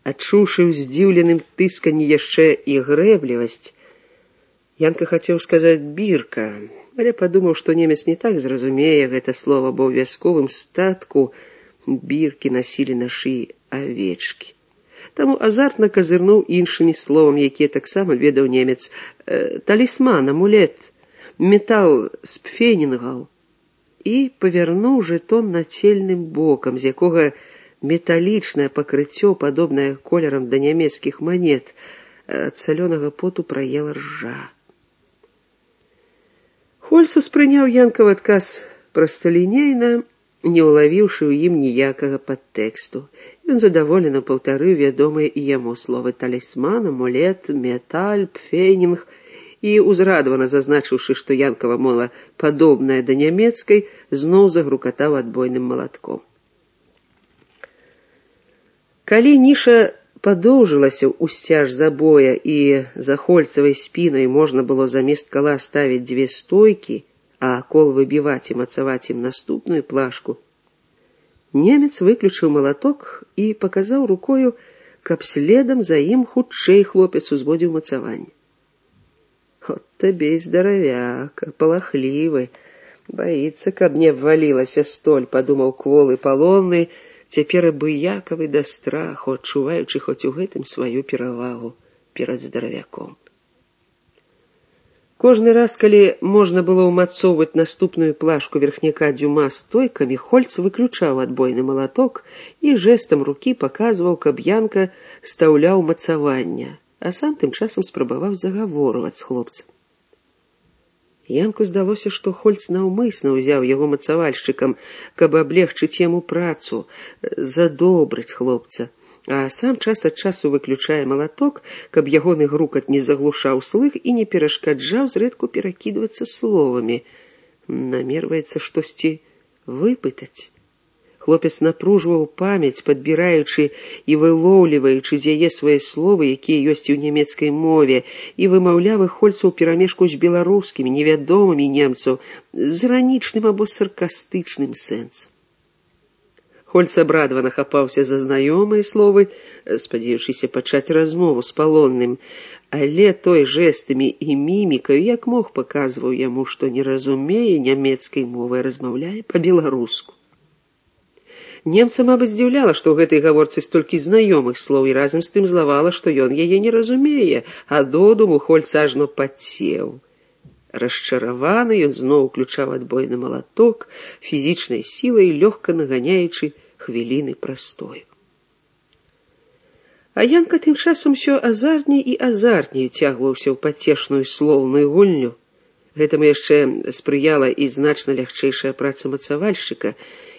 Адчуўшы ў здзіўленым тысканні яшчэ і грэблівасць, Янка хацеў сказаць «бірка», але падумаў, што немец не так зразумее гэта слова, бо ў вясковым статку біркі насілі на шыі авечкі. Таму азартна казырнуў іншымі словамі, якія таксама ведаў немец. Талісман, амулет, метал з пфенінгаў. І павярнуў жэтон нацельным бокам, з якога металічнае пакрыццё, падобнае колерам да нямецкіх манет, ад салёнага поту праела ржа. Хольц успрыняў Янкаў адказ прасталінейна, не ўлавіўшы ў ім ніякага падтэксту. Ён задаволена паўтарыў вядомыя і яму словы талісман, амулет, металь, пфенінг і, узрадавана зазначыўшы, што Янкава мова падобная да нямецкай, зноў загрукатаў адбойным малатком. Калі ніша падоўжылася ўсцяж забоя і за Хольцавай спінай можна было замест кала ставіць дзве стойкі, а кол выбіваць і мацаваць ім наступную плашку, немец выключыў малаток і паказаў рукою, каб следам за ім хутчэй хлопец узводзіў мацаванне. От табе і здаравяк, палахлівы, баіцца, каб не абвалілася столь, падумаў кволы палонны, цяпер абыякавы да страху, адчуваючы хоць у гэтым сваю перавагу перад здаравяком. Кожны раз, калі можна было ўмацоўваць наступную плашку верхняка дзюма стойкамі, Хольц выключаў адбойны малаток і жэстам рукі паказваў, каб Янка стаўляў мацавання, а сам тым часам спрабаваў загаворваць з хлопцам. Янку здалося, што Хольц наўмысна ўзяў яго мацавальшчыкам, каб аблегчыць яму працу, задобрыць хлопца, а сам час ад часу выключае малаток, каб ягоны грукат не заглушаў слых і не перашкаджаў зрэдку перакідвацца словамі. Намерваецца штосьці выпытаць. Хлопец напружваў памяць, падбіраючы і вылоўліваючы з яе свае словы, якія ёсць і ў нямецкай мове, і вымаўляў іх Хольцу ў перамешку з беларускімі, невядомымі немцу, з іранічным або саркастычным сэнсам. Хольц абрадавана хапаўся за знаёмыя словы, спадзеючыся пачаць размову з палонным, але той жэстамі і мімікаю, як мог, паказваў яму, што не разумее нямецкай мовы, а размаўляе па-беларуску. Немца, мабыць, здзіўляла, што ў гэтай гаворцы столькі знаёмых слоў, і разам з тым злавала, што ён яе не разумее, а додуму Хольц ажно пацеў. Расчараваны, ён зноў уключаў адбойны малаток, фізічнай сілай лёгка наганяючы хвіліны прастою. А Янка тым часам усё азартней і азартней уцягваўся ў пацешную слоўную гульню. Гэтаму яшчэ спрыяла і значна лягчэйшая праца мацавальшчыка,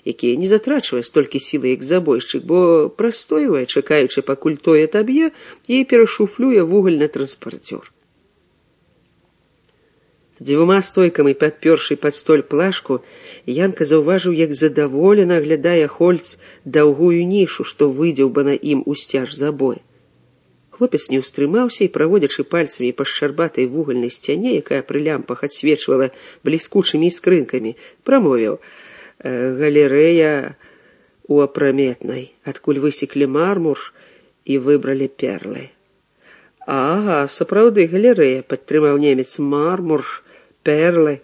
які не затрачвае столькі сілы, як забойшчык, бо прастойвае, чакаючы, пакуль той атаб'е, і перашуфлюе вугаль на транспарцёр. Дзвюма стойкамі, падпёршы пад столь плашку, Янка заўважыў, як задаволена аглядае Хольц даўгую нішу, што выдзеўбана ім у сцяж забоя. Хлопец не ўстрымаўся і, праводзячы пальцамі па шчарбатай вугальнай сцяне, якая пры лямпах адсвечвала бліскучымі іскрынкамі, прамовіў: «Галерэя у апраметнай, адкуль высеклі мармур і выбралі перлы». «Ага, сапраўды галерэя», — падтрымаў немец, — «мармур, перлы».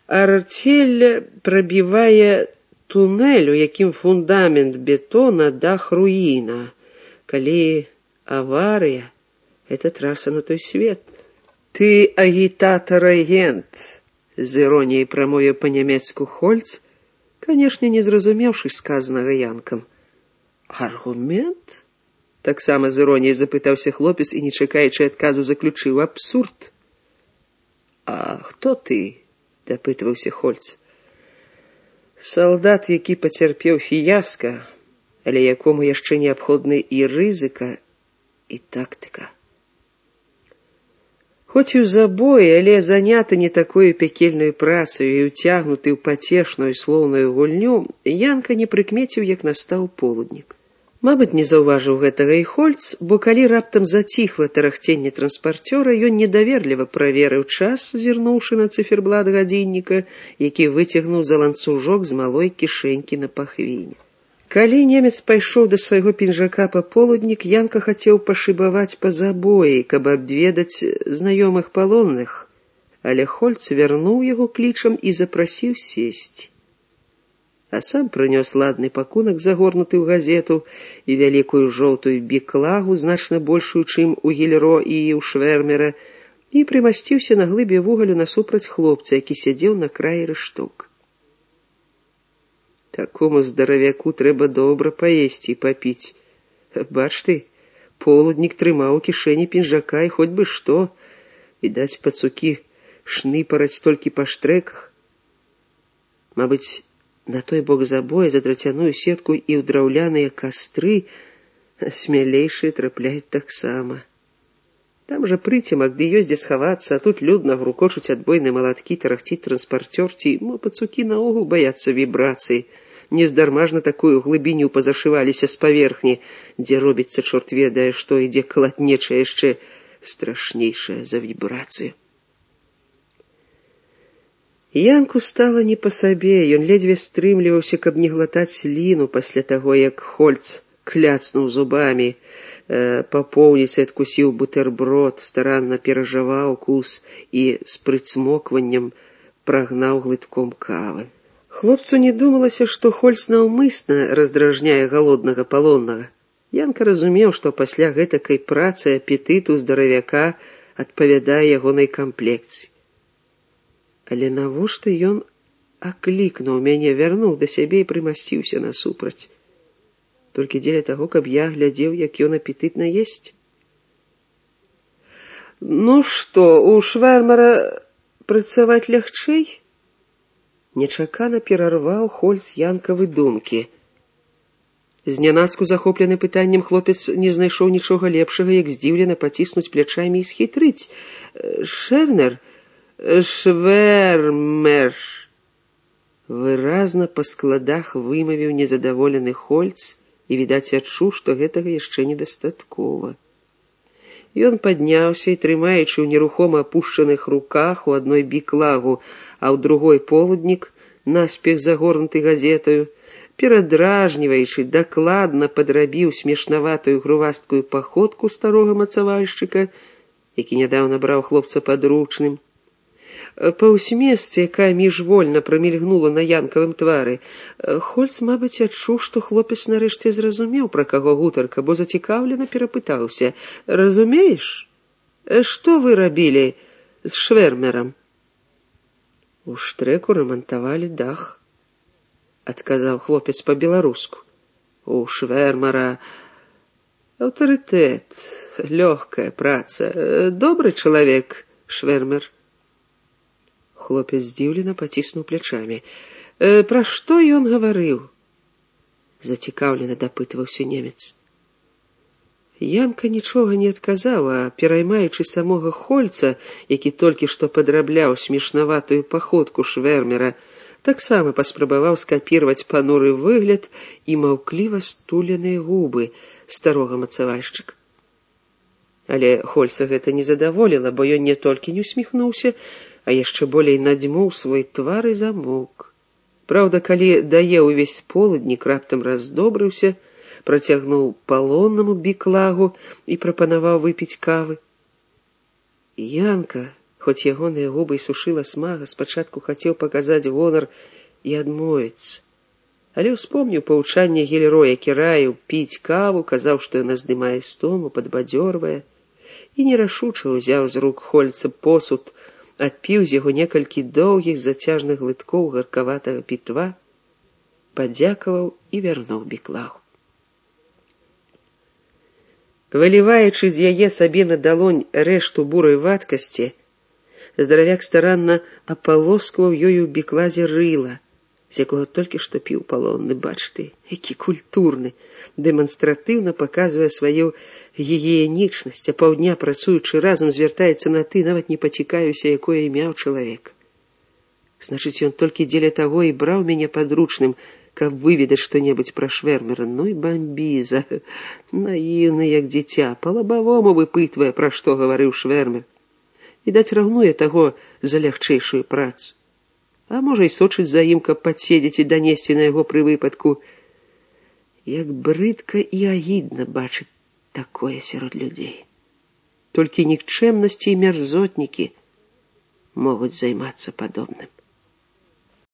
«Артель прабівае тунэль, у якім фундамент бетона, дах руіна. Калі аварыя, это траса на той свет». «Ты агітатар-агент», з іроніяй прамовіў па-нямецку Хольц, канешне, не зразумеўшы сказанага Янкам. «Аргумент?» — таксама з іроніяй запытаўся хлопец і, не чакаючы адказу, заключыў: «Абсурд». «А хто ты?» — дапытваўся Хольц. «Салдат, які пацярпеў фіяска, але якому яшчэ неабходны і рызыка, і тактыка. Хоць і ў забоі, але заняты не такою пякельнаю працаю і ўцягнуты ў пацешную слоўную гульню, Янка не прыкмеціў, як настаў полуднік. Мабыць, не заўважыў гэтага і Хольц, бо калі раптам заціхла тарахценне транспарцёра, ён недаверліва праверыў час, зірнуўшы на цыферблат гадзінніка, які выцягнуў за ланцужок з малой кішэнькі на пахвіне. Калі немец пайшоў да свайго пінжака паполуднік, Янка хацеў пашыбаваць па забоі, каб абведаць знаёмых палонных, але Хольц вярнуў яго клічам і запрасіў сесці. А сам прынёс ладны пакунак, загорнуты ў газету, і вялікую жоўтую біклагу, значна большую, чым у Гільро і ў Швэрмера, і прымасціўся на глыбе вугалю насупраць хлопца, які сядзеў на краі рэшток. Такому здаравяку трэба добра паесці і папіць. Бач ты, полуднік трымаў у кішэні пінжака, і хоць бы што, відаць, пацукі шныпараць толькі па штрэках. Мабыць, на той бок забоя за драцяную сетку і ў драўляныя кастры смялейшыя трапляюць таксама. Там жа прыцемак, ды ёсць дзе схавацца, а тут людна грукочуць адбойныя малаткі, тарахціць транспарцёр, ці пацукі наогул баяцца вібрацыі. Нездарма ж на такую глыбіню пазашываліся з паверхні, дзе робіцца чорт ведае што, і дзе калатнеча яшчэ страшнейшая за вібрацыю. Янку стала не па сабе, ён ледзьве стрымліваўся, каб не глатаць сліну пасля таго, як Хольц кляцнуў зубамі, па поўніцы адкусіў бутэрброд, старанна перажаваў кус і з прыцмокваннем прагнаў глытком кавы. Хлопцу не думалася, што Хольц наўмысна раздражняе галоднага палоннага. Янка разумеў, што пасля гэтакай працы апетыт у здаравяка адпавядае ягонай камплекцыі. Але навошта ён аклікнуў мяне, вярнуў да сябе і прымасціўся насупраць? Толькі дзеля таго, каб я глядзеў, як ён апетытна есць? Ну што, у Швэрмера працаваць лягчэй? Нечакана перарваў Хольц Янкавы думкі. Знянацку захоплены пытаннем, хлопец не знайшоў нічога лепшага, як здзіўлена паціснуць плячамі і схітрыць. Шэрнер, Швэрмер. Выразна па складах вымавіў незадаволены Хольц і, відаць, адчуў, што гэтага яшчэ недастаткова. Ён падняўся і, трымаючы ў нерухома апушчаных руках у адной біклагу, а ў другой полуднік, наспех загорнуты газетаю, перадражніваючы, дакладна падрабіў смешнаватую грувасткую паходку старога мацавальшчыка, які нядаўна браў хлопца падручным. Па ўсмесцы, якая міжвольна прамільгнула на Янкавым твары, Хольц, мабыць, адчуў, што хлопец нарэшце зразумеў, пра каго гутарка, бо зацікаўлена перапытаўся: «Разумееш, што вы рабілі з Швэрмерам?» «У штрэку рамантавалі дах», — адказаў хлопец па-беларуску. «У Швэрмера аўтарытэт, лёгкая праца, добры чалавек, Швэрмер». Хлопец здзіўлена паціснуў плячамі. «Пра што ён гаварыў?» — зацікаўлена дапытваўся немец. Янка нічога не адказаў, а, пераймаючы самога Хольца, які толькі што падрабляў смешнаватую паходку Швэрмера, таксама паспрабаваў скапірваць пануры выгляд і маўкліва стуленыя губы старога мацавальшчыка. Але Хольца гэта не задаволіла, бо ён не толькі не усміхнуўся, а яшчэ болей надзьмуў свой твар і замоўк. Праўда, калі даеў увесь полуднік, раптам раздобрыўся, працягнуў палоннаму біклагу і прапанаваў выпіць кавы. Янка, хоць ягоныя губы і сушыла смага, спачатку хацеў паказаць гонар і адмовіцца. Але ўспомніў паўчанне Гільро, які раіў піць каву, казаў, што яна здымае стому, падбадзёрвае, і нерашуча ўзяў з рук Хольца посуд, адпіў з яго некалькі доўгіх зацяжных глыткоў гаркаватага пітва, падзякаваў і вярнуў біклагу. Выліваючы з яе сабе на далонь рэшту бурай вадкасці, здаравяк старанна апалоскваў ёю ў бікладзе рыла, з якога толькі што піў палонны. Бач ты, які культурны, дэманстратыўна паказвае сваю гігіенічнасць, а паўдня працуючы разам звяртаецца на ты, нават не пацікаюся, якое імя ў чалавека. Значыць, ён толькі дзеля таго і браў мяне падручным, каб выведаць што-небудзь пра Швэрмера. Ну і бамбіза, наіўны, як дзіця, па-лабавому выпытвае, пра што гаварыў Швэрмер. Відаць, раўнуе таго за лягчэйшую працу. А можа, і сочыць за ім, каб падседзець і данесці на яго пры выпадку. Як брыдка і агідна бачыць такое сярод людзей. Толькі нікчэмнасці і мярзотнікі могуць займацца падобным.